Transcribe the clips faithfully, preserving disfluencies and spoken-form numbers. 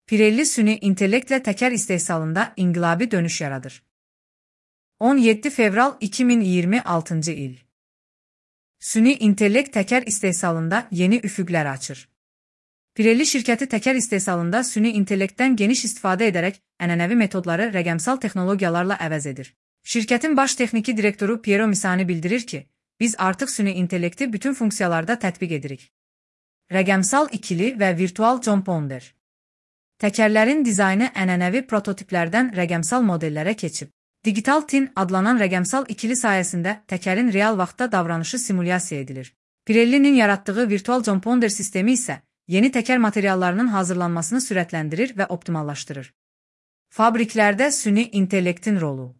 Pirelli süni intellektlə təkər istehsalında inqilabi dönüş yaradır. on yeddi fevral iki min iyirmi altıncı il. Süni intellekt təkər istehsalında yeni üfüqlər açır. Pirelli şirkəti təkər istehsalında süni intellektdən geniş istifadə edərək ənənəvi metodları rəqəmsal texnologiyalarla əvəz edir. Şirkətin baş texniki direktoru Piero Misani bildirir ki, biz artıq süni intellekti bütün funksiyalarda tətbiq edirik. Rəqəmsal ikili və virtual compounder. Təkərlərin dizaynı ənənəvi prototiplərdən rəqəmsal modellərə keçib. Digital Twin adlanan rəqəmsal ikili sayəsində təkərin real vaxtda davranışı simulyasiya edilir. Pirellinin yaratdığı virtual compounder sistemi isə yeni təkər materiallarının hazırlanmasını sürətləndirir və optimallaşdırır. Fabriklərdə süni intellektin rolu.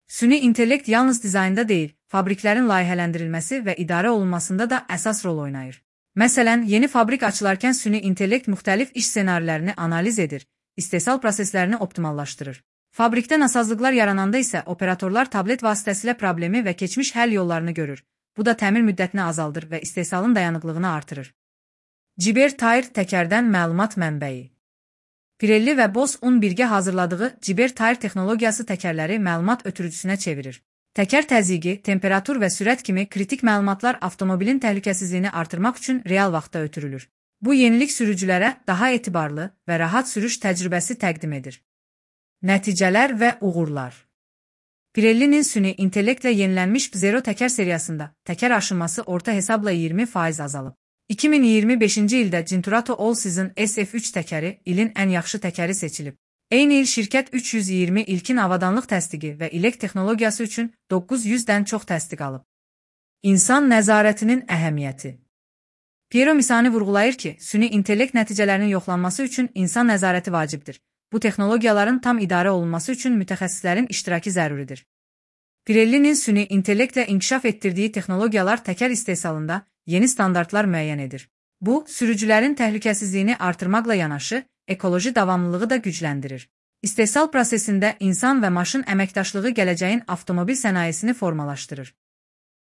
Süni intellekt yalnız dizaynda deyil, fabriklərin layihələndirilməsi və idarə olunmasında da əsas rol oynayır. Məsələn, yeni fabrik açılarkən süni intellekt müxtəlif iş ssenarilərini analiz edir, istehsal proseslərini optimallaşdırır. Fabrikdə nasazlıqlar yarananda isə operatorlar tablet vasitəsilə problemi və keçmiş həll yollarını görür. Bu da təmir müddətini azaldır və istehsalın dayanıqlığını artırır. Ciber Tire təkərdən məlumat mənbəyi. Pirelli və Bosch-un birgə hazırladığı Ciber Tire texnologiyası təkərləri məlumat ötürücüsünə çevirir. Təkər təzyiqi, temperatur və sürət kimi kritik məlumatlar avtomobilin təhlükəsizliyini artırmaq üçün real vaxtda ötürülür. Bu yenilik sürücülərə daha etibarlı və rahat sürüş təcrübəsi təqdim edir. Nəticələr və uğurlar. Pirellinin süni intellektlə yenilənmiş Zero təkər seriyasında təkər aşınması orta hesabla iyirmi faiz azalıb. iki min iyirmi beşinci ildə Cinturato All Season S F üç təkəri ilin ən yaxşı təkəri seçilib. Eyni il şirkət üç yüz iyirmi ilkin avadanlıq təsdiqi və ilək texnologiyası üçün doqquz yüzdən çox təsdiq alıb. İnsan nəzarətinin əhəmiyyəti. Piero Misani vurğulayır ki, süni intellekt nəticələrinin yoxlanması üçün insan nəzarəti vacibdir. Bu texnologiyaların tam idarə olunması üçün mütəxəssislərin iştirakı zəruridir. Pirellinin süni intellektlə inkişaf etdirdiyi texnologiyalar təkər istehsalında yeni standartlar müəyyən edir. Bu, sürücülərin təhlükəsizliyini artırmaqla yanaşı, ekoloji davamlılığı da gücləndirir. İstehsal prosesində insan və maşın əməkdaşlığı gələcəyin avtomobil sənayesini formalaşdırır.